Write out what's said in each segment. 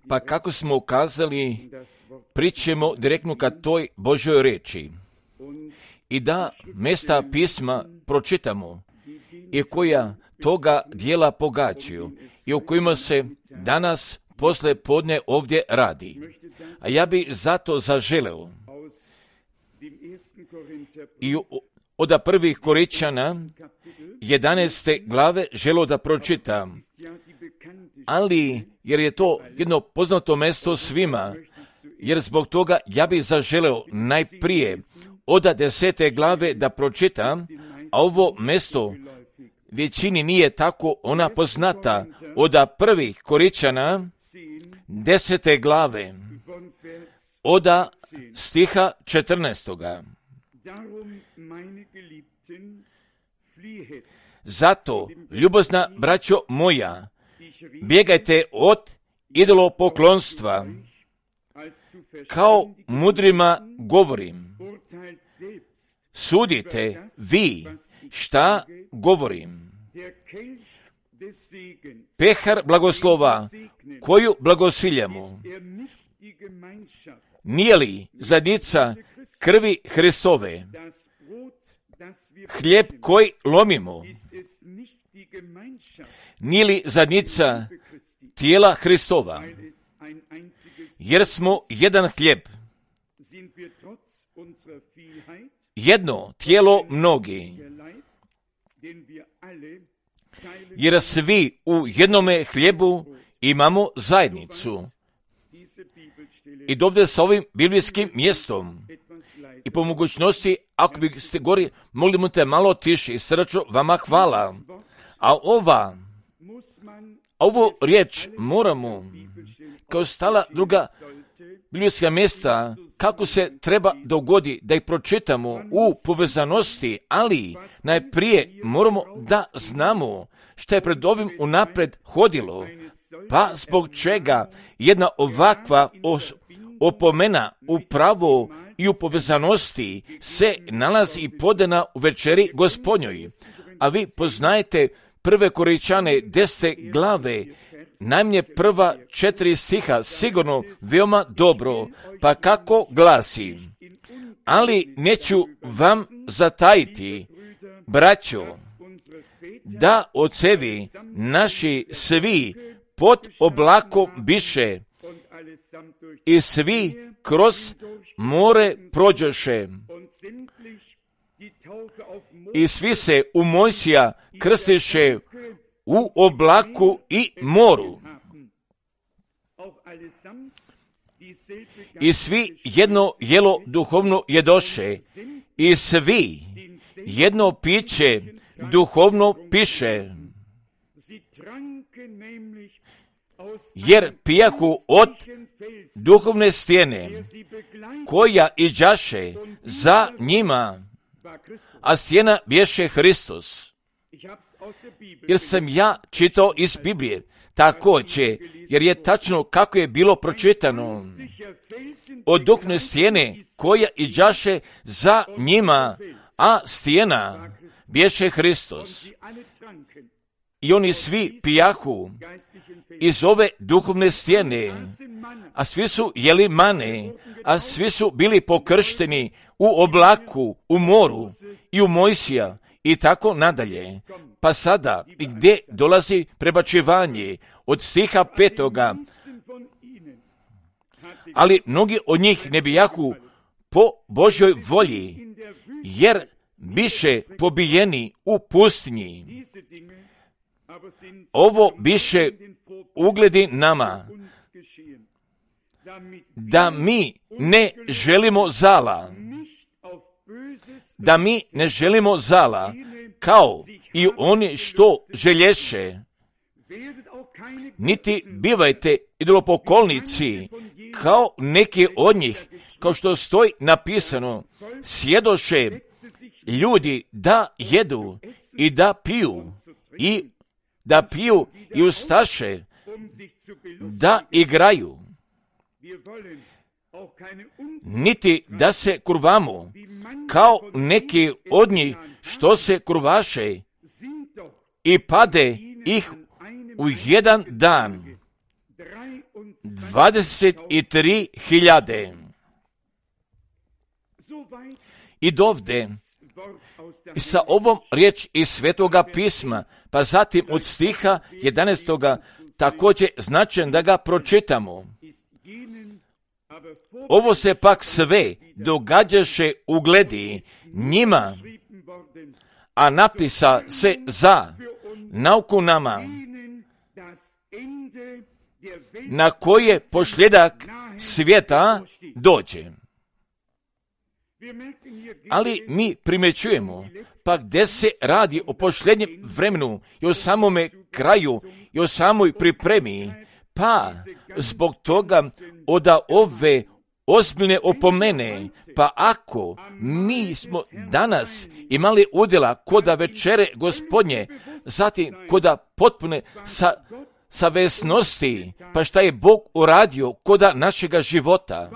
Pa kako smo ukazali, pričemo direktno ka toj Božoj reči. I da mjesta pisma pročitamo i koja toga dijela pogađaju i o kojima se danas posle podne ovdje radi. A ja bi zato zaželeo i od 1. Korinčana 11. glave želeo da pročitam, ali jer je to jedno poznato mjesto svima, jer zbog toga ja bih zaželeo najprije od 10. glave da pročitam, a ovo mjesto većini nije tako ona poznata, od 1. Korinčana 10. glave, od stiha 14. Zato, ljubazna braćo moja, bjegajte od idolopoklonstva, kao mudrima govorim. Sudite vi šta govorim. Pehar blagoslova, koju blagosiljamo, nije li zadnica krvi Hristove? Hljeb koji lomimo, nije li zadnica tijela Hristova? Jer smo jedan hljeb, jedno tijelo mnogi, jer svi u jednome hljebu imamo zajednicu. I dovde sa ovim biblijskim mjestom i po mogućnosti, ako biste gori, molimo te malo tiši i srdačno vama hvala. A ovu riječ moramo, kao stala druga biblijska mjesta, kako se treba dogodi da ih pročitamo u povezanosti, ali najprije moramo da znamo što je pred ovim unapred hodilo, pa zbog čega jedna ovakva opomena u pravu i u povezanosti se nalazi i podana u večeri Gospodnjoj. A vi poznajete 1. Korinčane 10. glave, najmanje prva 4 stiha, sigurno veoma dobro, pa kako glasi: ali neću vam zatajiti, braćo, da ocevi naši svi pod oblakom biše i svi kroz more prođoše i svi se u Mojsija krstiše u oblaku i moru. I svi jedno jelo duhovno jedoše i svi jedno piće duhovno piše, jer pijahu od duhovne stijene, koja iđaše za njima, a stijena bješe Hristos. Jer sam ja čitao iz Biblije, također, jer je tačno kako je bilo pročitano, od duhovne stijene, koja iđaše za njima, a stijena bješe Hristos. I oni svi pijahu iz ove duhovne stijene, a svi su jeli mane, a svi su bili pokršteni u oblaku, u moru i u Mojsija i tako nadalje. Pa sada, gdje dolazi prebačivanje od stiha 5. Ali mnogi od njih ne bijahu po Božjoj volji, jer biše pobijeni u pustinji. Ovo biše ugledi nama, da mi ne želimo zala, kao i oni što želješe, niti bivajte idolopoklonici, kao neki od njih, kao što stoji napisano, sjedoše ljudi da jedu i da piju i ustaše da igraju, niti da se kurvamo, kao neki od njih što se kurvaše i pade ih u jedan dan. 23.000. I dovde, i sa ovom riječ iz Svetoga pisma, pa zatim od stiha 11. također značajan da ga pročitamo. Ovo se pak sve događaše u gledi njima, a napisa se za nauku nama, na koje posljedak svijeta dođe. Ali mi primjećujemo, pa gdje se radi o posljednjem vremenu i o samome kraju i o samoj pripremi, pa zbog toga od ove ozbiljne opomene, pa ako mi smo danas imali udjela koda večere Gospodnje, zatim koda potpune savjesnosti, pa šta je Bog uradio koda našega života,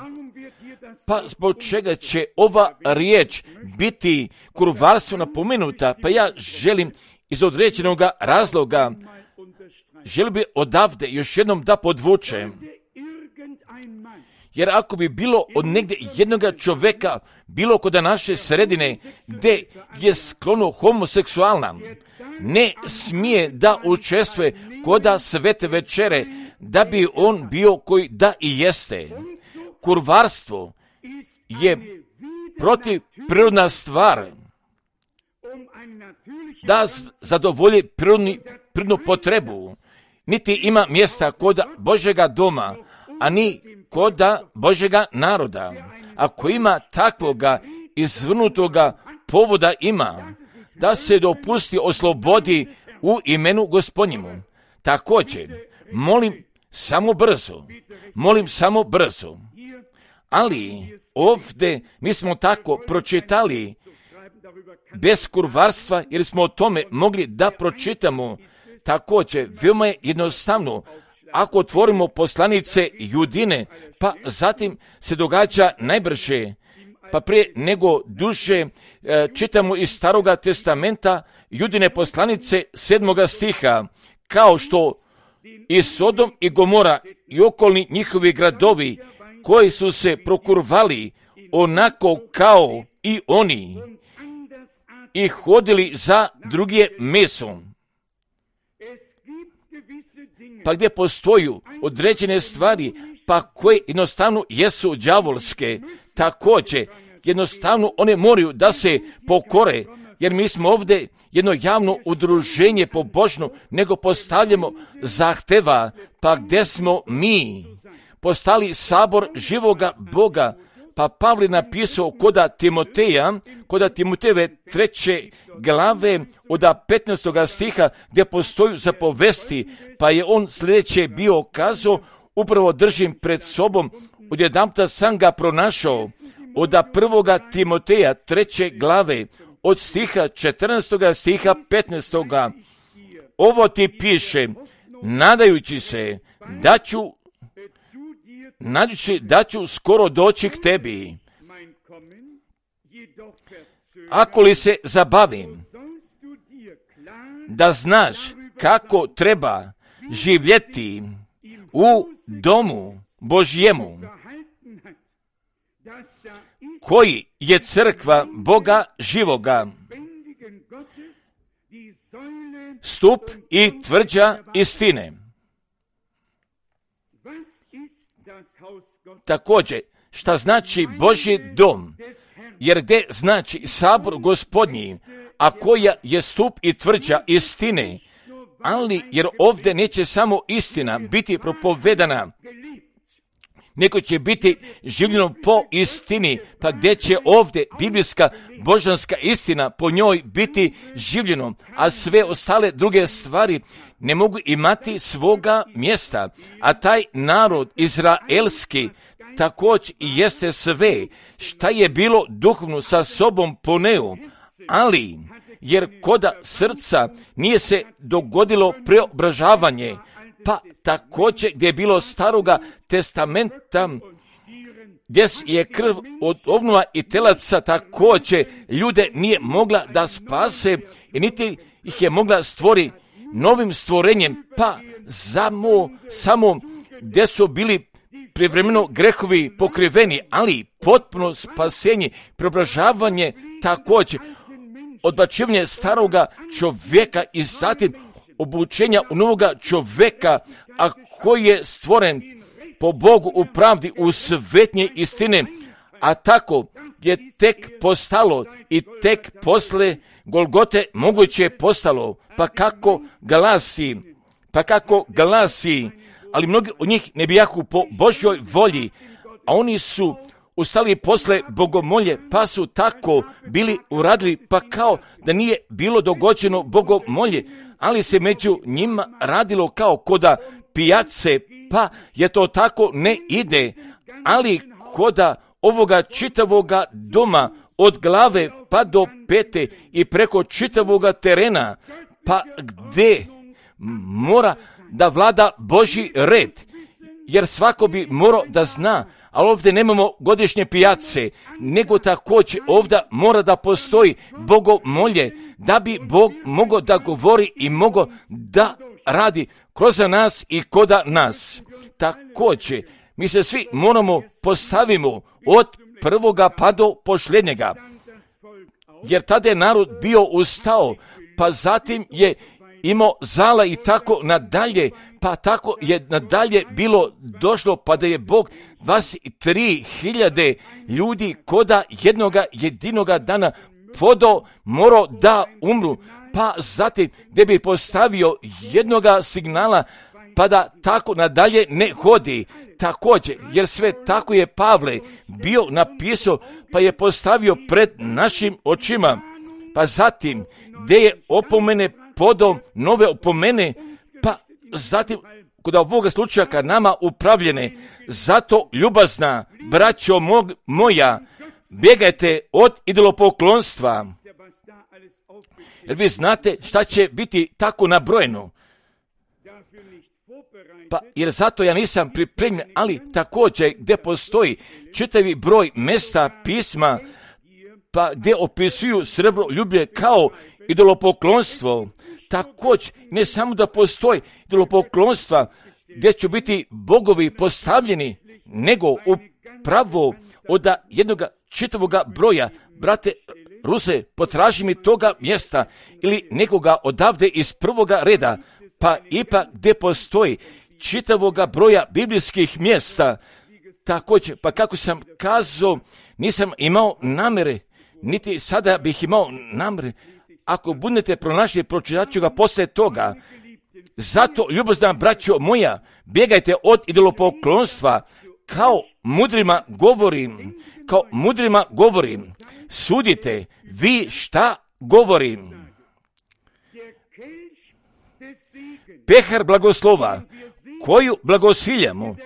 pa zbog čega će ova riječ biti kurvarstvo napomenuta, pa ja želim iz određenog razloga, želim bi odavde još jednom da podvučem. Jer ako bi bilo od negdje jednoga čovjeka, bilo kod naše sredine, gdje je sklono homoseksualna, ne smije da učestvuje koda svete večere, da bi on bio koji da i jeste. Kurvarstvo je protivprirodna stvar, da zadovolji prirodnu potrebu. Niti ima mjesta kod Božjega doma, a ni kod Božjega naroda. Ako ima takvoga izvrnutoga povoda ima, da se dopusti oslobodi u imenu Gospodnjemu. Također, molim samo brzo. Ali ovdje mi smo tako pročitali bez kurvarstva, jer smo o tome mogli da pročitamo. Također, veoma je jednostavno, ako otvorimo poslanice Judine, pa zatim se događa najbrže, pa prije nego duže čitamo iz Staroga testamenta Judine poslanice 7. stiha, kao što i Sodom i Gomora i okolni njihovi gradovi koji su se prokurvali onako kao i oni i hodili za druge mesom. Pa gdje postoju određene stvari, pa koje jednostavno jesu đavolske, također jednostavno one moraju da se pokore, jer mi smo ovdje jedno javno udruženje pobožno, nego postavljamo zahteva, pa gdje smo mi postali sabor živoga Boga, pa Pavle napisao koda Timotejeve 3. glave od 15. stiha gdje postoju zapovesti, pa je on sljedeće bio kazao, upravo držim pred sobom, odjedanputa sam ga pronašao, od 1. Timoteja 3. glave od stiha 14. stiha 15. Ovo ti piše, nadajući se da ću skoro doći k tebi. Ako li se zabavim, da znaš kako treba živjeti u domu Božjemu, koji je crkva Boga živoga, stup i tvrđa istine. Također, šta znači Božji dom? Jer gdje znači sabor Gospodnji, a koja je stup i tvrđa istine, ali jer ovdje neće samo istina biti propovedana, nego će biti življeno po istini, pa gdje će ovdje biblijska božanska istina po njoj biti življeno, a sve ostale druge stvari ne mogu imati svoga mjesta, a taj narod izraelski također i jeste sve šta je bilo duhovno sa sobom poneo, ali jer koda srca nije se dogodilo preobražavanje, pa također gdje je bilo Staroga testamenta, gdje je krv od ovnova i telaca također ljude nije mogla da spase i niti ih je mogla stvori novim stvorenjem, pa samo gdje su bili privremeno grehovi pokriveni, ali potpuno spasenje, preobražavanje također, odbacivanje staroga čovjeka i zatim obučenja u novoga čovjeka, a koji je stvoren po Bogu u pravdi, u svetnje istine, a tako je tek postalo i tek posle Golgote moguće postalo, pa kako glasi, ali mnogi od njih ne bijahu po Božjoj volji, a oni su ustali posle bogomolje, pa su tako bili uradili, pa kao da nije bilo dogođeno bogomolje, ali se među njima radilo kao koda pijace, pa je to tako ne ide, ali koda ovoga čitavoga doma, od glave pa do pete i preko čitavoga terena, pa gde mora da vlada Božji red, jer svako bi morao da zna, ali ovdje nemamo godišnje pijace, nego također ovdje mora da postoji bogomolje, da bi Bog mogao da govori i mogao da radi kroz nas i koda nas. Također, mi se svi moramo postavimo od prvoga pa do posljednjega, jer tada je narod bio ustao, pa zatim je imao zala i tako nadalje, pa tako je nadalje bilo došlo, pa da je Bog 23.000 ljudi koda jednoga jedinoga dana morao da umru, pa zatim gdje bi postavio jednoga signala, pa da tako nadalje ne hodi. Također, jer sve tako je Pavle bio napisao, pa je postavio pred našim očima, pa zatim gdje je opomene podom nove opomene, pa zatim kod ovoga slučaja kad nama upravljene, zato ljubazna braćo moja, bjegajte od idolopoklonstva, jer vi znate šta će biti tako nabrojeno. Pa jer zato ja nisam pripremljen, ali također gdje postoji čitavi broj mjesta pisma, pa gdje opisuju srebroljublje kao idolopoklonstvo, također ne samo da postoji idolopoklonstva gdje će biti bogovi postavljeni, nego upravo od jednoga čitavoga broja, brate Ruse, potraži mi toga mjesta ili nekoga odavde iz prvoga reda, pa ipak gdje postoji čitavoga broja biblijskih mjesta, također, pa kako sam kazao, nisam imao namere, niti sada bih imao namere, ako budete pronašli, pročitat ću ga poslije toga. Zato, ljubazna braćo moja, bjegajte od idolopoklonstva, kao mudrima govorim, sudite vi šta govorim. Pehar blagoslova, koju blagosiljamo,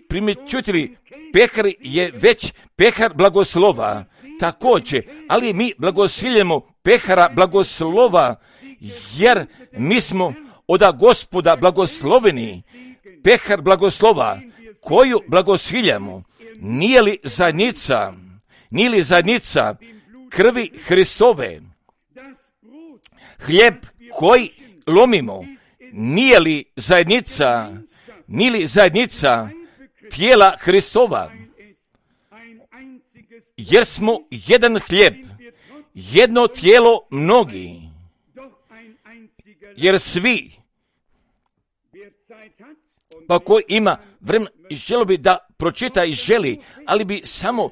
primjećujte, pehar je već pehar blagoslova, također, ali mi blagosiljemo pehara blagoslova, jer mi smo od Gospoda blagosloveni. Pehar blagoslova, koju blagosiljamo, nije li zajednica krvi Hristove? Hljeb koji lomimo, nije li zajednica tijela Hristova? Jer smo jedan hljeb, jedno tijelo mnogi, jer svi, pa ko ima vremena i želo bi da pročita i želi, ali bi samo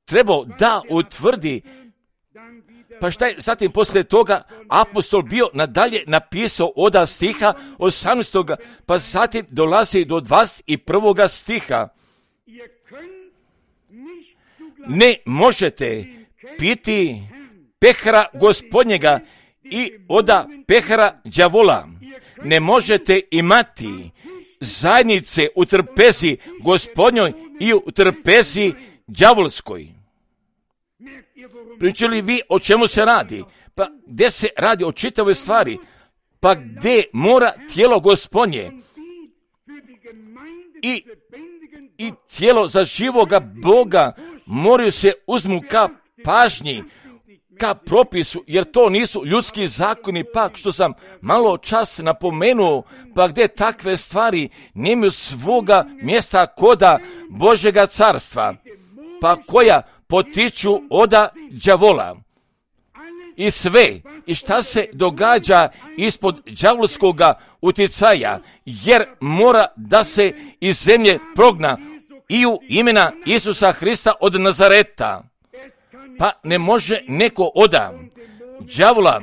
trebao da utvrdi. Pa šta je zatim poslije toga apostol bio nadalje napisao od stiha 18. pa zatim dolazi do 21. stiha. Ne možete piti pehara gospodnjega i oda pehara đavola. Ne možete imati zajednice u trpezi gospodnjoj i u trpezi đavolskoj. Pričali vi o čemu se radi? Pa gdje se radi o čitavoj stvari? Pa gdje mora tijelo gospodnje i tijelo za živoga Boga moraju se uzmu ka pažnji, ka propisu, jer to nisu ljudski zakoni, pa što sam malo čas napomenuo, pa gdje takve stvari nemaju svoga mjesta koda Božjega carstva, pa koja potiču oda đavola. I sve, i šta se događa ispod đavolskoga uticaja, jer mora da se iz zemlje progna i u imena Isusa Hrista od Nazareta. Pa ne može neko oda đavola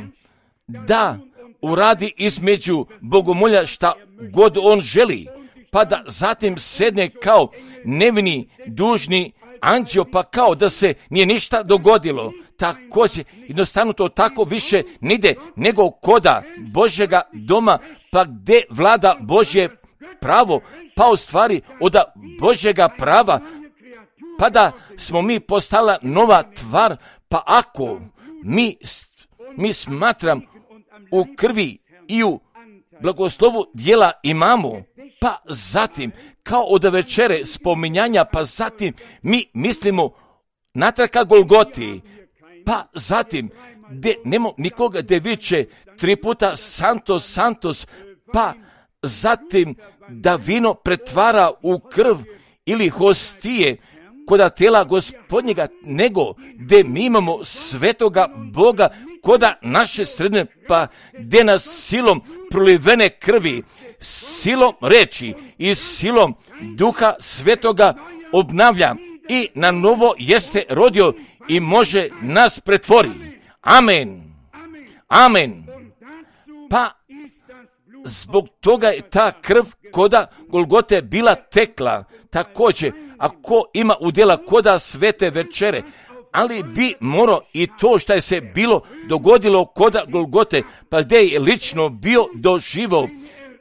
da uradi između bogomolja šta god on želi, pa da zatim sedne kao nevini, dužni anđeo, pa kao da se nije ništa dogodilo. Također, jednostavno to tako više ne ide nego koda Božjega doma, pa gdje vlada Božje pravo, pa u stvari od Božjega prava, pa da smo mi postala nova tvar, pa ako mi smatram u krvi i u blagoslovu djela imamo, pa zatim kao od večere spominjanja, pa zatim mi mislimo natrag ka Golgoti, pa zatim gdje nema nikoga gdje viče 3 puta Santos, Santos, pa zatim da vino pretvara u krv ili hostije koda tijela Gospodnjega, nego gdje mi imamo svetoga Boga koda naše sredine, pa gdje nas silom prolivene krvi, silom reči i silom Duha Svetoga obnavlja i na novo jeste rodio i može nas pretvori. Amen. Amen. Pa zbog toga je ta krv koda Golgote bila tekla. Također, ako ima udjela koda svete večere, ali bi morao i to što je se bilo dogodilo koda Golgote, pa gdje je lično bio doživo,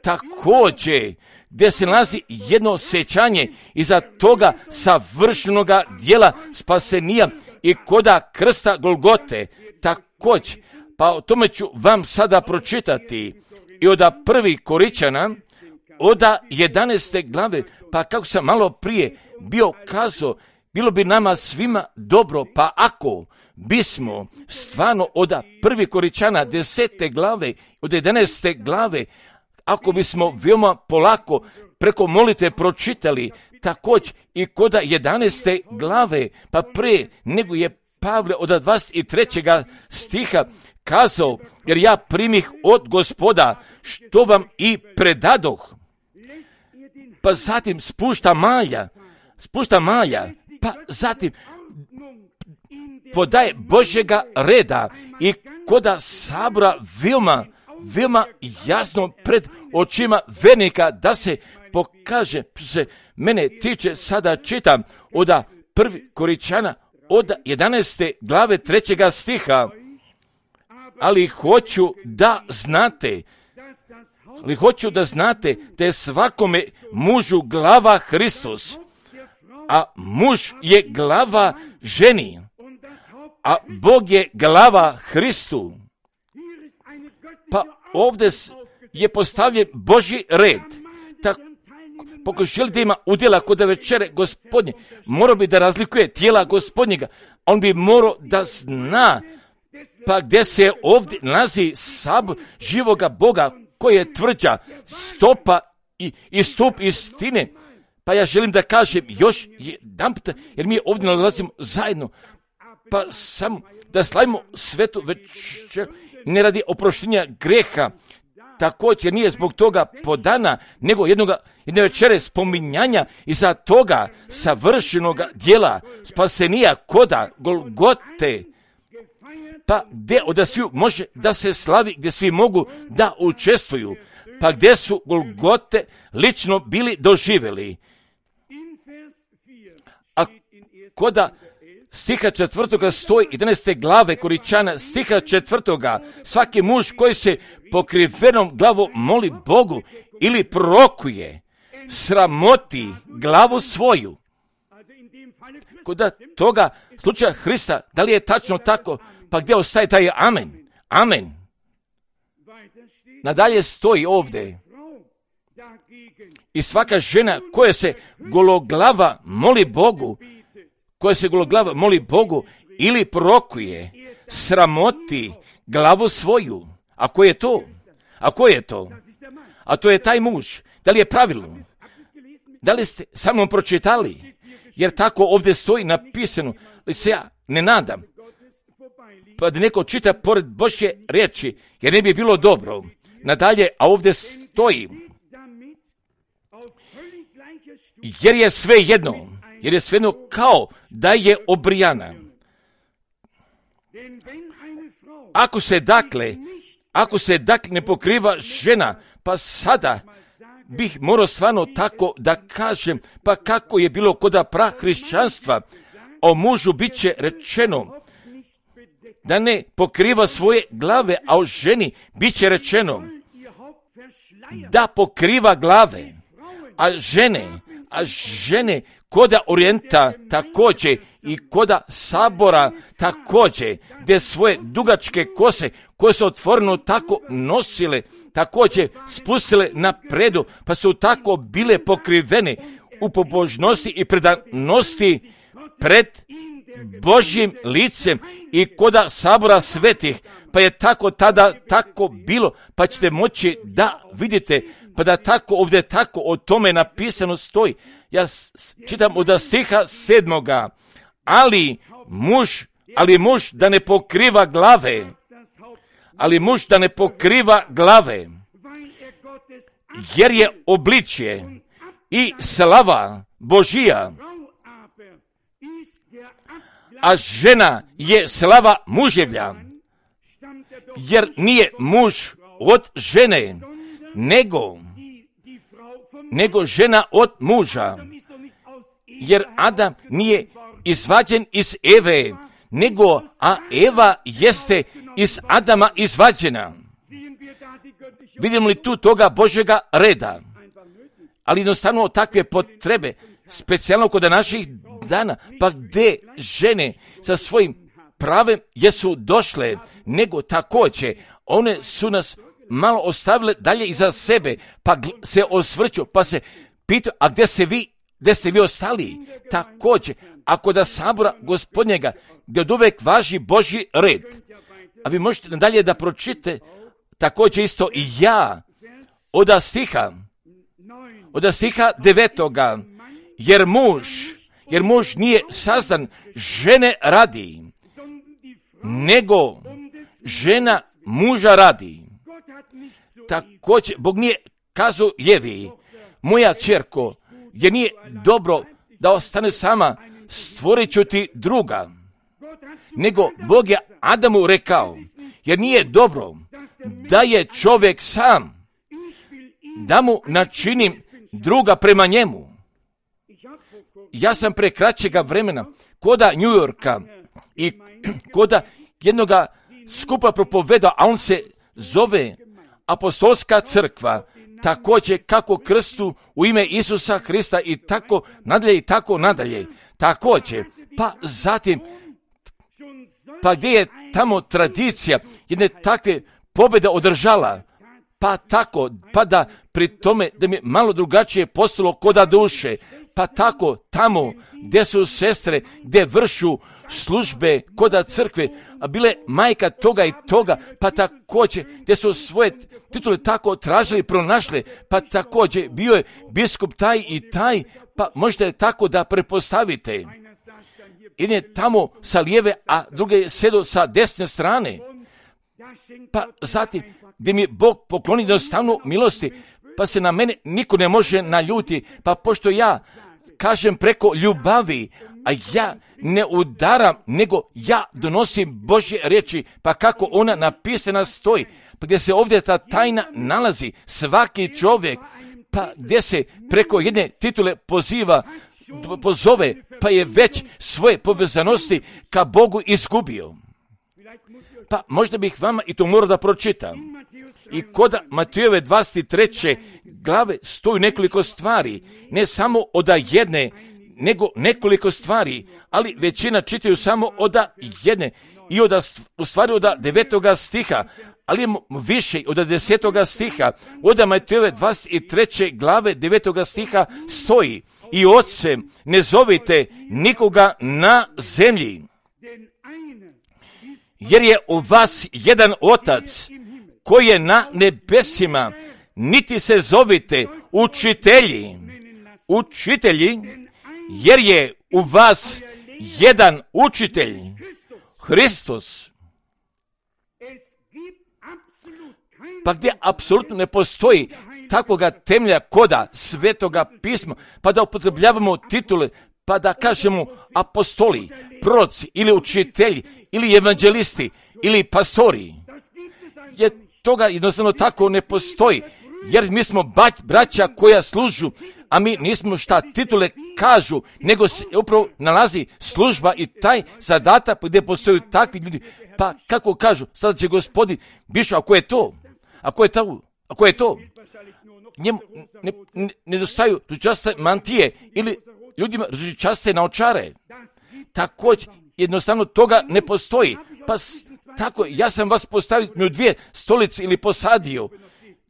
također gdje se nalazi jedno sjećanje iza toga savršenoga dijela spasenija i koda krsta Golgote. Također, pa o tome ću vam sada pročitati i od 1. Koričana, od 11. glave, pa kako sam malo prije bio kazao, bilo bi nama svima dobro, pa ako bismo stvarno od 1. Koričana 10. glave, od 11. glave, ako bismo veoma polako preko molitve pročitali, također i kod 11. glave, pa pre nego je Pavle od 23. stiha kazao, jer ja primih od Gospoda što vam i predadoh. Pa zatim spušta malja, pa zatim podaje Božjega reda i koda sabora veoma jasno pred očima vernika da se pokaže, se mene tiče, sada čitam od 1. Koričana od 11. glave 3. stiha, ali hoću da znate da je svakome mužu glava Hristos, a muž je glava ženi, a Bog je glava Hristu. Pa ovdje je postavljen Božji red. Ako želi da ima udjela kod večere Gospodnje, morao bi da razlikuje tijela Gospodnjega. On bi morao da zna pa gdje se ovdje nalazi sabor živoga Boga koji je tvrđa stopa i stup istine. Pa ja želim da kažem još jedanput, jer mi ovdje nalazimo zajedno, pa samo da slavimo svetu večer, ne radi oproštenja greha, također nije zbog toga podana, nego jedne večere spominjanja iza toga savršenog dijela spasenija koda Golgote, pa gdje od sviju može da se slavi, gdje svi mogu da učestvuju, pa gdje su Golgote lično bili doživjeli. A koda stiha 4. stoji 11. glave Koričana, stiha 4. svaki muž koji se pokrivenom glavom moli Bogu ili prorokuje, sramoti glavu svoju. Koda toga slučaja Hrista, da li je tačno tako, pa gdje ostaje taj amen? Amen. Nadalje stoji ovdje. I svaka žena koja se gologlava moli Bogu ili prorokuje, sramoti glavu svoju. A ko je to? A ko je to? A to je taj muž. Da li je pravilno? Da li ste sa mnom pročitali? Jer tako ovdje stoji napisano. Ali se ja ne nadam. Pa da neko čita pored Božje riječi, jer ne bi bilo dobro. Nadalje, a ovdje stoji. Jer je sve jedno kao da je obrijana. Ako se dakle ne pokriva žena, pa sada bih morao stvarno tako da kažem, pa kako je bilo kod prahrišćanstva, o mužu bit će rečeno da ne pokriva svoje glave, a o ženi bit će rečeno da pokriva glave, a žene koda Orijenta također i koda Sabora također, gdje svoje dugačke kose koje su otvoreno tako nosile, također spustile napredu, pa su tako bile pokrivene u pobožnosti i predanosti pred Božjim licem i koda Sabora svetih, pa je tako tada tako bilo, pa ćete moći da vidite, pa da tako ovdje tako o tome napisano stoji. Ja čitam od stiha 7. Ali muž da ne pokriva glave, jer je obličje i slava Božija, a žena je slava muževlja, jer nije muž od žene, nego žena od muža, jer Adam nije izvađen iz Eve, a Eva jeste iz Adama izvađena. Vidimo li tu toga Božjega reda? Ali jednostavno takve potrebe, specijalno kod naših dana, pa gdje žene sa svojim pravem jesu došle, nego također one su nas malo ostavile dalje iza sebe, pa se osvrću, pa se pitaju, a gdje ste vi ostali? Također, ako da Sabora Gospodnjega, gdje od uvek važi Božji red, a vi možete nadalje da pročite, također isto i ja, od stiha 9. Jer muž nije sazdan žene radi, nego žena muža radi. Također, Bog nije kazao Jevi, moja ćerko, jer nije dobro da ostane sama, stvorit ću ti druga. Nego Bog je Adamu rekao, jer nije dobro da je čovjek sam, da mu načinim druga prema njemu. Ja sam pre kraćega vremena koda New Yorka i koda jednoga skupa propovedao, a on se zove Apostolska crkva, također kako krstu u ime Isusa Hrista i tako nadalje. Također, pa zatim, pa gdje je tamo tradicija jedne takve pobjede održala, pa tako, pa da pri tome da mi je malo drugačije postalo koda duše, pa tako tamo gdje su sestre, gdje vršu službe koda crkve, a bile majka toga i toga, pa također gdje su svoje titule tako tražili, pronašli, pa također bio je biskup taj i taj, pa možete tako da prepostavite. Jedan je tamo sa lijeve, a drugi je sjedio sa desne strane. Pa zatim, gdje mi je Bog pokloni jednostavno milosti, pa se na mene niko ne može naljuti, pa pošto ja kažem preko ljubavi, a ja ne udaram, nego ja donosim Božje riječi, pa kako ona napisana stoji, pa gdje se ovdje ta tajna nalazi, svaki čovjek, pa gdje se preko jedne titule pozove, pa je već svoje povezanosti ka Bogu izgubio. Pa možda bih vama i to morao da pročitam. I kod Matejove 23. glave stoji nekoliko stvari, ne samo od jedne, nego nekoliko stvari, ali većina čitaju samo od jedne i u stvari od 9. stiha, ali više od 10. stiha. Od Matejove 23. glave 9. stiha stoji: i ocem ne zovite nikoga na zemlji, jer je u vas jedan Otac koji je na nebesima, niti se zovite učitelji, jer je u vas jedan učitelj, Hristos. Pa gdje apsolutno ne postoji takvoga temelja koda Svetoga pisma, pa da upotrebljavamo titule, pa da kažemo apostoli, proroci ili učitelji ili evanđelisti ili pastori. Jer toga jednostavno tako ne postoji, jer mi smo braća koja služu, a mi nismo šta titule kažu, nego se upravo nalazi služba i taj zadatak gdje postoju takvi ljudi. Pa kako kažu, sada će Gospodin, bišu, ako je to, njemu nedostaju ružičaste mantije ili ljudima ružičaste naočare. Također, jednostavno toga ne postoji. Pa tako, ja sam vas postavio u dvije stolice ili posadio.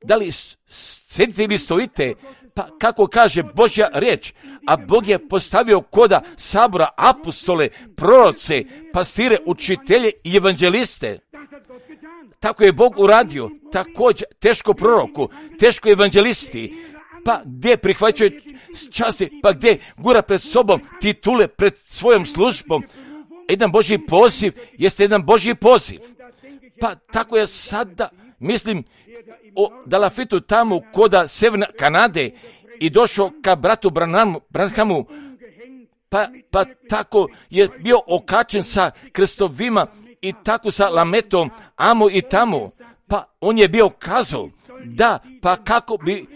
Da li sedite ili stojite? Pa kako kaže Božja riječ, a Bog je postavio koda sabora apostole, proroce, pastire, učitelje i evanđeliste. Tako je Bog uradio, također teško proroku, teško evanđelisti, pa gdje prihvaćaju časti, pa gdje gura pred sobom titule pred svojom službom. Jedan Božji poziv jeste jedan Božji poziv. Pa tako je sada, mislim, o Dalafitu tamo koda Sjeverne Kanade i došao ka bratu Branhamu, pa tako je bio okačen sa krstovima i tako sa lametom, amo i tamo, pa on je bio kazao, da, pa kako bi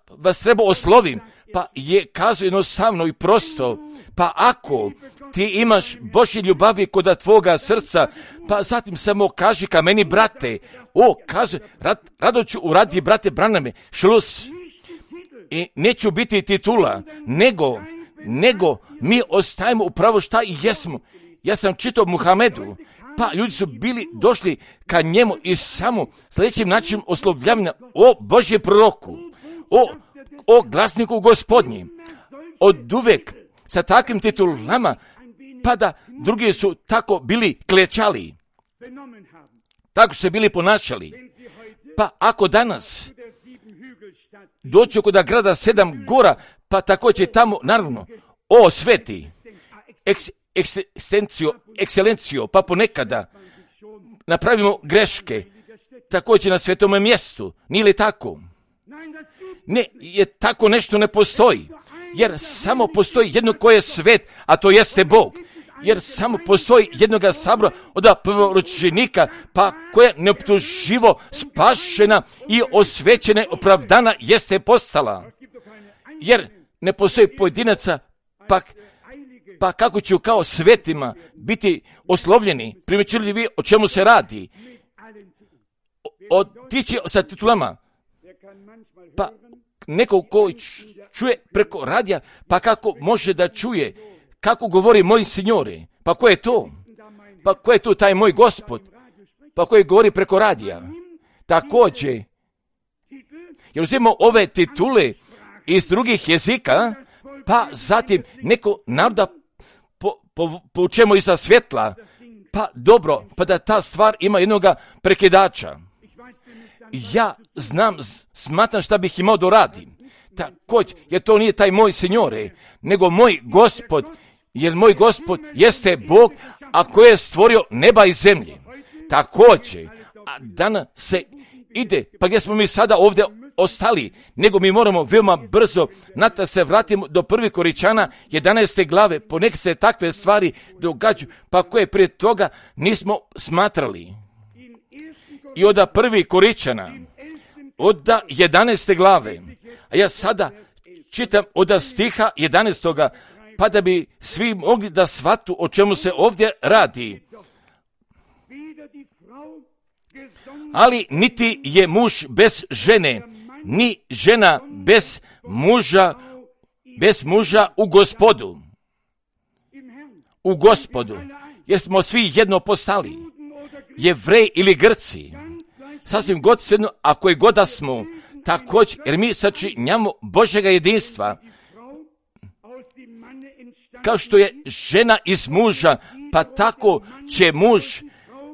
vas trebao oslovim, pa je kazao jednostavno i prosto, pa ako ti imaš Božje ljubavi kod tvoga srca, pa zatim samo kaži ka meni, brate, kaže, rado ću uraditi, brate Branhame, šlus, i neću biti titula, nego mi ostajemo upravo šta i jesmo. Ja sam čitao Muhamedu, pa ljudi su bili došli ka njemu i samo sljedećim načinom oslovljavanja o Božje proroku, o glasniku Gospodnji, od uvek sa takvim titulama, pa da drugi su tako bili klečali, tako se bili ponašali. Pa ako danas dođu kod grada 7 gora, pa također tamo, naravno, o sveti, ekscelencijo, pa ponekada napravimo greške, također na svetome mjestu, nije li tako? Ne, je tako nešto ne postoji, jer samo postoji jedno koje je svet, a to jeste Bog. Jer samo postoji jednoga sabora od prvoročenika, pa koja neoptuživo spašena i osvećena, opravdana jeste postala. Jer ne postoji pojedinaca, pa kako ću kao svetima biti oslovljeni? Primjećili vi o čemu se radi? Otići sa titulama, pa neko ko čuje preko radija, pa kako može da čuje kako govori moj signore? Pa ko je to? Pa ko je tu taj moj Gospod? Pa koji govori preko radija? Također, jer uzimamo ove titule iz drugih jezika, pa zatim neko naroda poučemo iza svjetla, pa dobro, pa da ta stvar ima jednoga prekidača. Ja smatram šta bih imao da radim. Također, jer to nije taj moj signore, nego moj Gospod, jer moj Gospod jeste Bog, a koji je stvorio neba i zemlje. Također, a danas se ide, pa gdje smo mi sada ovdje ostali, nego mi moramo veoma brzo natrag se vratimo do 1. Koričana 11. glave, ponekad se takve stvari događaju, pa koje prije toga nismo smatrali. I od 1. Koričana, od 11. glave, a ja sada čitam od stiha 11. pa da bi svi mogli da shvatu o čemu se ovdje radi. Ali niti je muž bez žene, ni žena bez muža u Gospodu. U Gospodu, jer smo svi jedno postali, Jevreji ili Grci, sasvim god svejedno, ako je god da smo, također, jer mi sačinjamo Božjega jedinstva, kao što je žena iz muža, pa tako će muž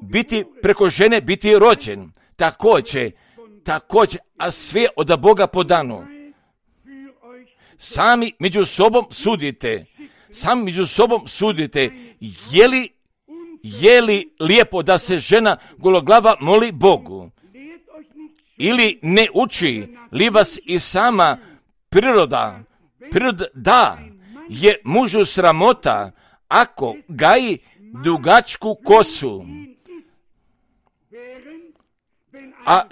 biti preko žene biti rođen. Također, a sve od Boga podano. Sami među sobom sudite, je li lijepo da se žena gologlava moli Bogu? Ili ne uči li vas i sama priroda da je mužu sramota ako gaji dugačku kosu, a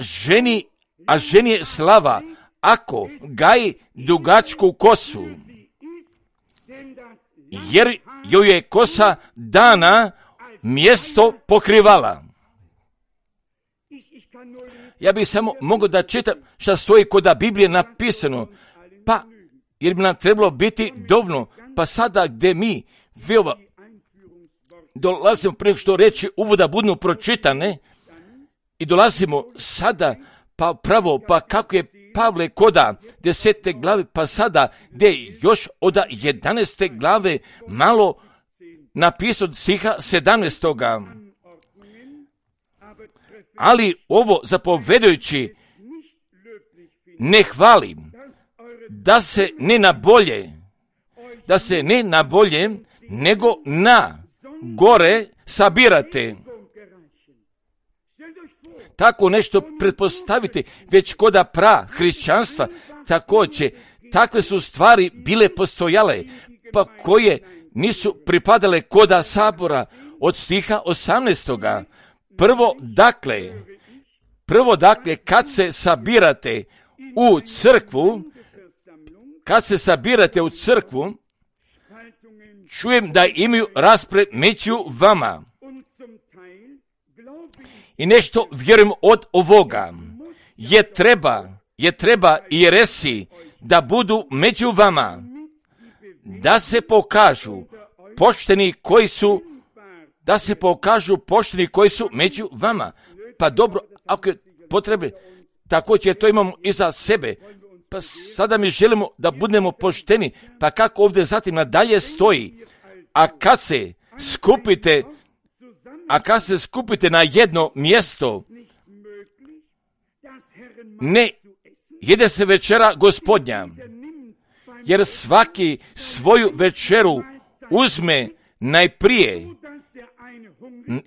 ženi je slava ako gaji dugačku kosu, jer joj je kosa dana mjesto pokrivala. Ja bih samo mogao da čitam šta stoji kod Biblije napisano, pa jer bi nam trebalo biti dovoljno, pa sada gdje mi dolazimo prije što reći uvoda budu pročitane i dolazimo sada pa pravo, pa kako je Pavle koda 10. glave, pa sada gdje još od 11. glave malo napisao stiha 17. Ali ovo zapovedajući ne hvalim, da se ne na bolje, nego na gore sabirate. Tako nešto pretpostaviti, već koda hrišćanstva, također, takve su stvari bile postojale, pa koje nisu pripadale koda sabora od stiha 18. Prvo dakle, kad se sabirate u crkvu, čujem da imaju raspred među vama. I nešto vjerujem od ovoga, je treba i jeresi da budu među vama, da se pokažu pošteni koji su među vama. Pa dobro, ako je potrebe, također to imamo i za sebe. Pa sada mi želimo da budemo pošteni, pa kako ovdje zatim nadalje stoji, a kad se skupite na jedno mjesto, ne jede se večera Gospodnja, jer svaki svoju večeru uzme najprije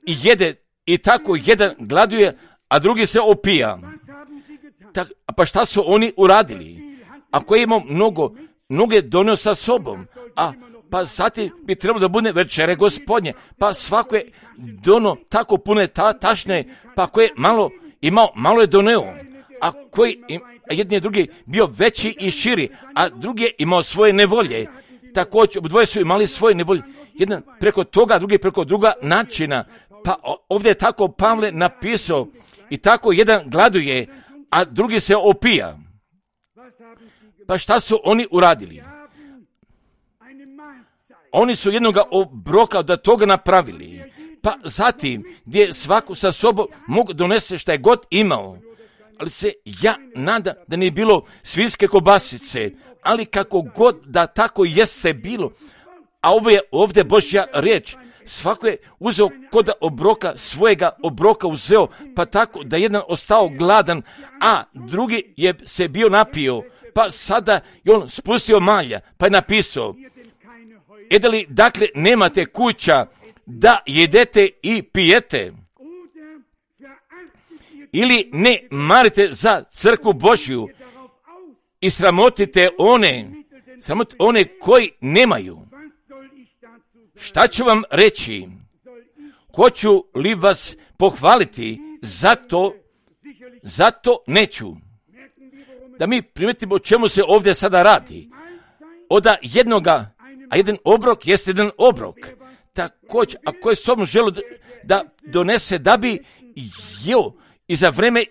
i jede, i tako jedan gladuje, a drugi se opija. Pa šta su oni uradili? Ako imamo mnoge donio sa sobom, pa zatim bi trebalo da bude večere Gospodnje, pa svako je dono tako pune tašne, pa ko je malo je doneo, a koji jedni i drugi bio veći i širi, a drugi je imao svoje nevolje. Također, obdvoje su imali svoje nevolje, jedan preko toga, drugi preko druga načina. Pa ovdje je tako Pavle napisao, i tako jedan gladuje, a drugi se opija. Pa šta su oni uradili? Oni su jednoga obroka da toga napravili. Pa zatim, gdje svako sa sobom mogu donese šta je god imao. Ali se ja nadam da nije bilo svinjske kobasice, ali kako god da tako jeste bilo. A ovo je ovdje Božja riječ. Svako je uzeo kod obroka, svojega obroka uzeo, pa tako da jedan ostao gladan, a drugi je se bio napio, pa sada je on spustio malja, pa je napisao, li dakle nemate kuća da jedete i pijete? Ili ne marite za crkvu Božju i sramotite one koji nemaju? Šta ću vam reći? Hoću li vas pohvaliti? Zato neću. Da mi primijetimo o čemu se ovdje sada radi. Oda jednoga, a jedan obrok jeste jedan obrok. Također, ako je sobom želo da donese da bi jeo i za vreme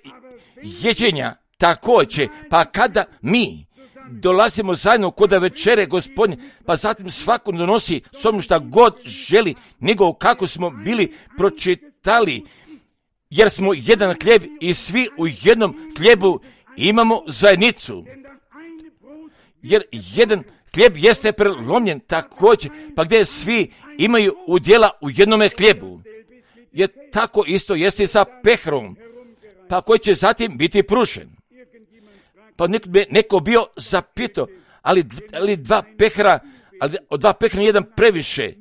jeđenja, također, pa kada mi dolazimo zajedno kod večere Gospodnje, pa zatim svako donosi sobom šta god želi, nego kako smo bili pročitali, jer smo jedan hljeb i svi u jednom hljebu imamo zajednicu. Jer jedan hljeb jeste prelomljen također, pa gdje svi imaju udjela u jednome hljebu. je tako isto jeste sa pehrom, pa koji će zatim biti prušen. Pa neko bio zapitao, ali dva pehra, ali od dva pehra jedan previše.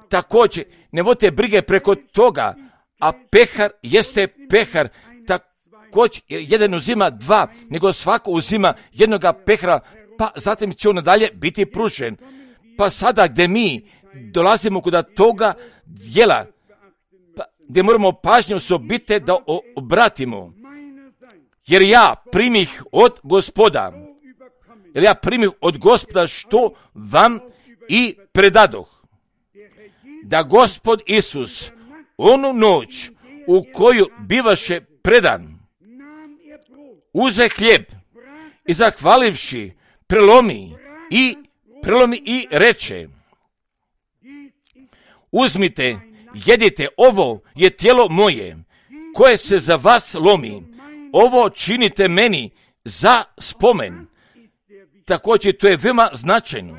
Također, ne vodite brige preko toga, a pehar jeste pehar. Također, jedan uzima dva, nego svako uzima jednoga pehra, pa zatim će on nadalje biti prušen. Pa sada gdje mi dolazimo kod toga djela, pa gdje moramo pažnju osobite da obratimo. Jer ja primih od Gospoda što vam i predadoh. Da Gospod Isus onu noć u koju bivaše predan, uze hljeb i zahvalivši prelomi i reče: uzmite, jedite, ovo je tijelo moje, koje se za vas lomi, ovo činite meni za spomen. Također to je veoma značajno.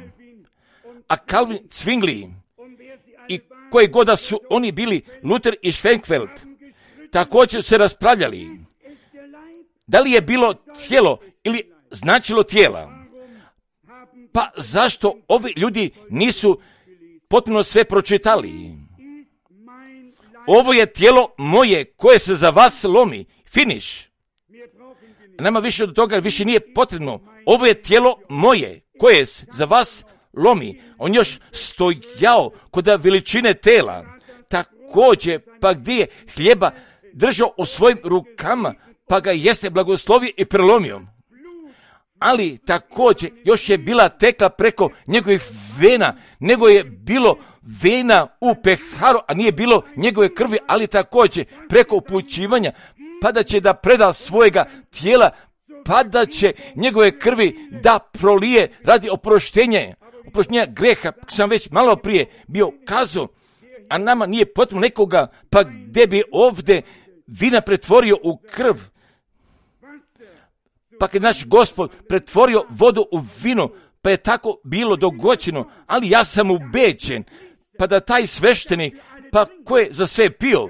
A Calvin, Zwingli i koji god da su oni bili, Luther i Schwenkfeld, također se raspravljali da li je bilo tijelo ili značilo tijela. Pa zašto ovi ljudi nisu potpuno sve pročitali? Ovo je tijelo moje koje se za vas lomi. Finish. Nema više od toga, više nije potrebno. Ovo je tijelo moje koje se za vas lomi. On još stojao kod veličine tela. Također, pa gdje je hljeba držao u svojim rukama, pa ga jeste blagoslovio i prelomio. Ali također još je bila tekla preko njegovih vena, nego je bilo vena u peharu, a nije bilo njegove krvi, ali također preko upućivanja, pa da će da preda svojega tijela, pa da će njegove krvi da prolije radi oproštenja greha, sam već malo prije bio kazao, a nama nije potrebno nekoga, pa gdje bi ovdje vina pretvorio u krv. Pa kad naš Gospod pretvorio vodu u vino, pa je tako bilo dogođeno, ali ja sam ubeđen, pa da taj sveštenik, pa ko je za sve pio,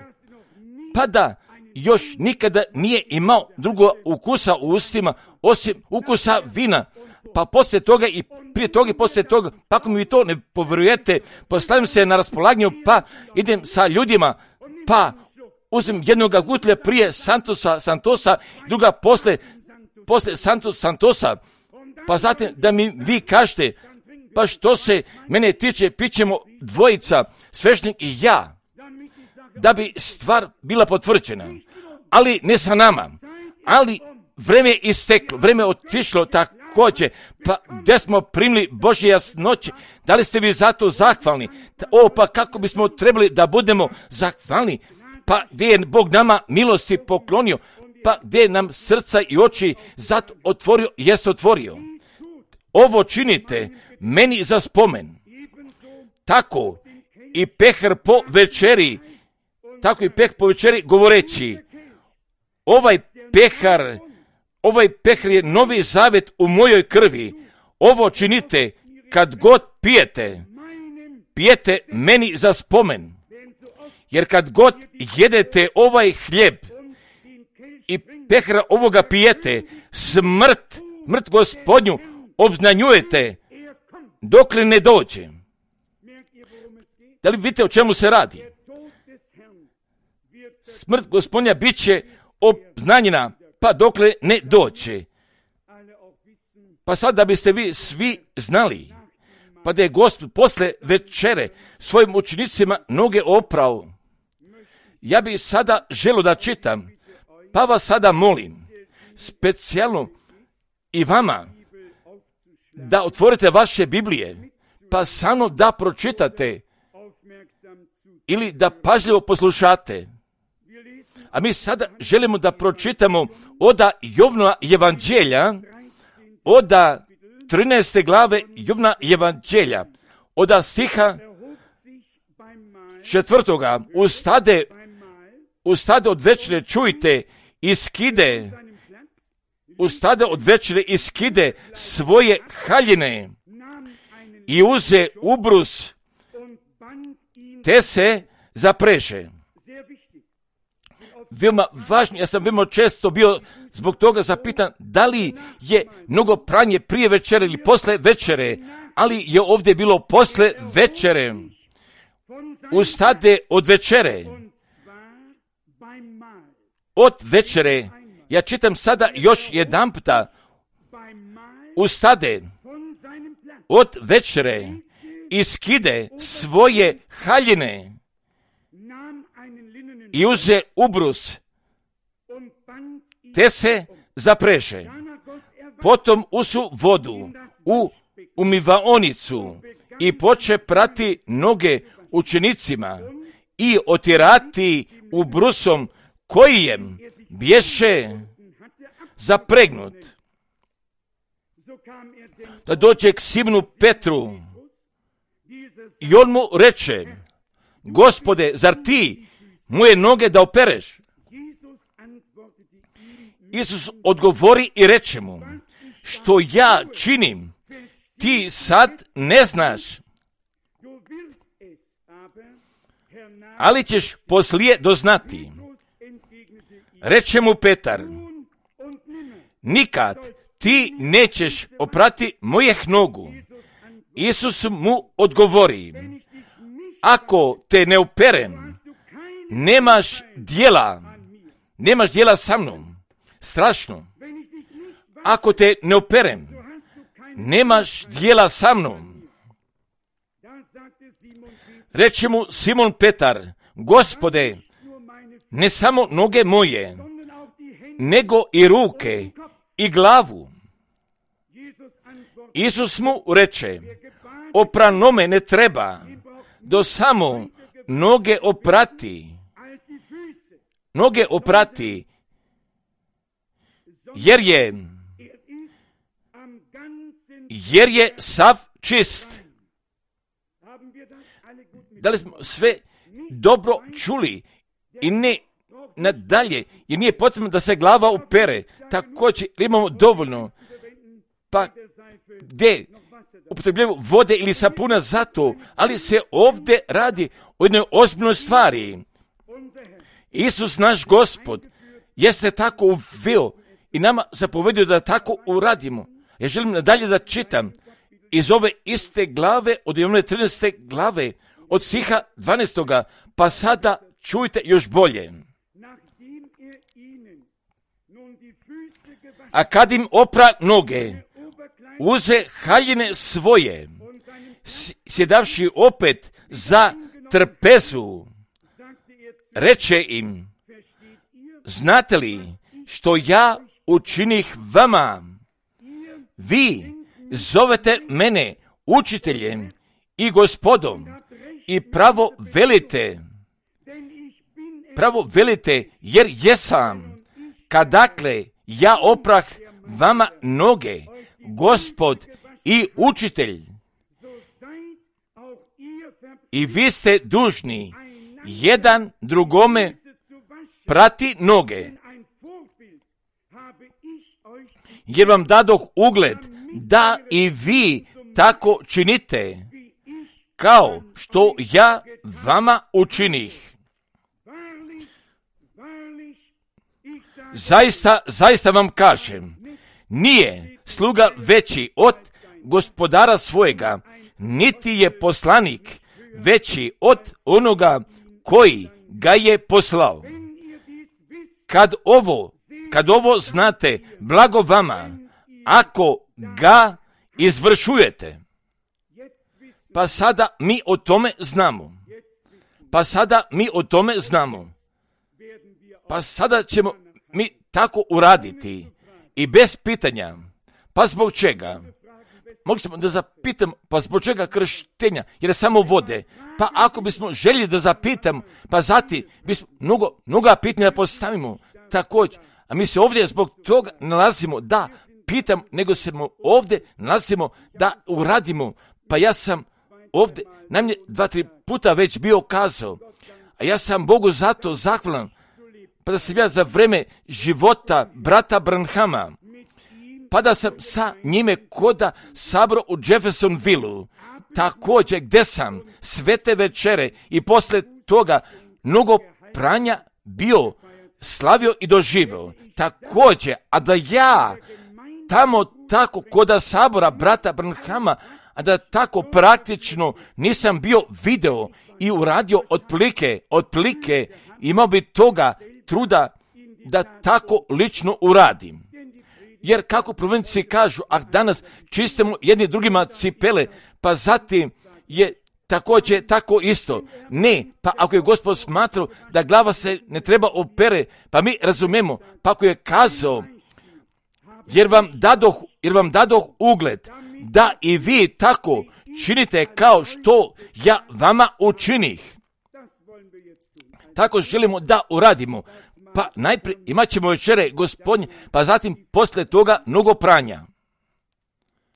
pa da još nikada nije imao drugog ukusa u ustima, osim ukusa vina, pa poslije toga i prije toga i poslije toga, pa ako mi vi to ne povjerujete, postavim se na raspolaganju, pa idem sa ljudima, pa uzem jednoga gutlja prije Santosa, druga poslije Santosa, pa zatim da mi vi kažete, pa što se mene tiče, pićemo dvojica, sveštenik i ja, da bi stvar bila potvrđena, ali ne sa nama, ali vreme je isteklo, vreme je otišlo također, pa gdje smo primili Božje jasnoće, da li ste vi zato zahvalni? Pa kako bismo trebali da budemo zahvalni? Pa gdje je Bog nama milosti poklonio, pa gdje nam srca i oči zato otvorio, jest otvorio. Ovo činite meni za spomen. Tako i pehar po večeri, govoreći, ovaj pehar je novi zavet u mojoj krvi. Ovo činite kad god pijete meni za spomen. Jer kad god jedete ovaj hljeb i pehra ovoga pijete, smrt Gospodnju obznanjujete dokle ne dođe. Da li vidite o čemu se radi? Smrt Gospodnja bit će obznanjena, pa dokle ne dođe. Pa sad da biste vi svi znali, pa da je Gospod posle večere svojim učenicima noge oprao. Ja bih sada želio da čitam, pa vas sada molim, specijalno i vama, da otvorite vaše Biblije, pa samo da pročitate ili da pažljivo poslušate. A mi sada želimo da pročitamo oda Jovnova evanđelja, oda 13. glave Jovnova evanđelja, oda stiha 4. Ustade od večere, čujte, iskide svoje haljine i uze ubrus, te se zapreže. veoma važno. Ja sam veoma često bio zbog toga zapitan da li je mnogo pranje prije večere ili posle večere, ali je ovdje bilo posle večere. Ustade od večere. Od večere. Ja čitam sada još jedan puta. Ustade od večere i skide svoje haljine i uze ubrus, te se zapreže. Potom usu vodu u umivaonicu i poče prati noge učenicima i otirati ubrusom kojijem bješe zapregnut. Da dođe k Simonu Petru i on mu reče: Gospode, zar ti moje noge da opereš? Isus odgovori i reče mu: što ja činim, ti sad ne znaš, ali ćeš poslije doznati. Reče mu Petar: nikad ti nećeš oprati mojih nogu. Isus mu odgovori: ako te ne operem, nemaš djela sa mnom. Strašno. Ako te ne operem, nemaš djela sa mnom. Reče mu Simon Petar: Gospode, ne samo noge moje, nego i ruke i glavu. Isus mu reče: opranome ne treba, do samo noge oprati, jer je sav čist. Da li smo sve dobro čuli i ne nadalje, jer nije potrebno da se glava opere, također imamo dovoljno, pa gdje upotrebljamo vode ili sapuna za to, ali se ovdje radi o jednoj ozbiljnoj stvari. Isus naš Gospod jeste tako uveo i nama zapovedio da tako uradimo. Ja želim nadalje da čitam iz ove iste glave, od one 13. glave, od stiha 12. pa sada čujte još bolje. A kad im opra noge, uze haljine svoje, sjedavši opet za trpezu, reče im: znate li što ja učinih vama? Vi zovete mene učiteljem i gospodom i pravo velite, jer jesam, kadakle ja oprah vama noge, Gospod i učitelj. I vi ste dužni jedan drugome prati noge, jer vam dadoh ugled da i vi tako činite, kao što ja vama učinih. Zaista vam kažem, nije sluga veći od gospodara svojega, niti je poslanik veći od onoga koji ga je poslao. Kad ovo znate, blago vama, ako ga izvršujete. Pa sada mi o tome znamo. Pa sada ćemo mi tako uraditi i bez pitanja. Pa zbog čega? Mogli smo da zapitam, pa zbog čega krštenja? Jer je samo vode. Pa ako bismo željeli da zapitam, pa zatim bismo mnoga pitanja postavimo također. A mi se ovdje zbog toga nalazimo da pitam, nego se ovdje nalazimo da uradimo. Pa ja sam ovdje najmanje 2-3 puta već bio kazao, a ja sam Bogu zato zahvalan, pa da sam ja za vreme života brata Branhama, pa da sam sa njime koda sabro u Jeffersonville, također gdje sam svete večere i posle toga mnogo pranja bio slavio i doživio također, a da ja tamo tako koda sabora brata Branhama, a da tako praktično nisam bio video i uradio otplike, imao bi toga truda da tako lično uradim. Jer kako provinci kažu, danas čistimo jedni drugima cipele, pa zatim je također tako isto. Ne, pa ako je Gospod smatrao da glava se ne treba opere, pa mi razumemo, pa ako je kazao, jer vam dadoh ugled, da i vi tako činite kao što ja vama učinih. Tako želimo da uradimo. Pa najprije imat ćemo večere Gospodnje, pa zatim poslije toga mnogo pranja.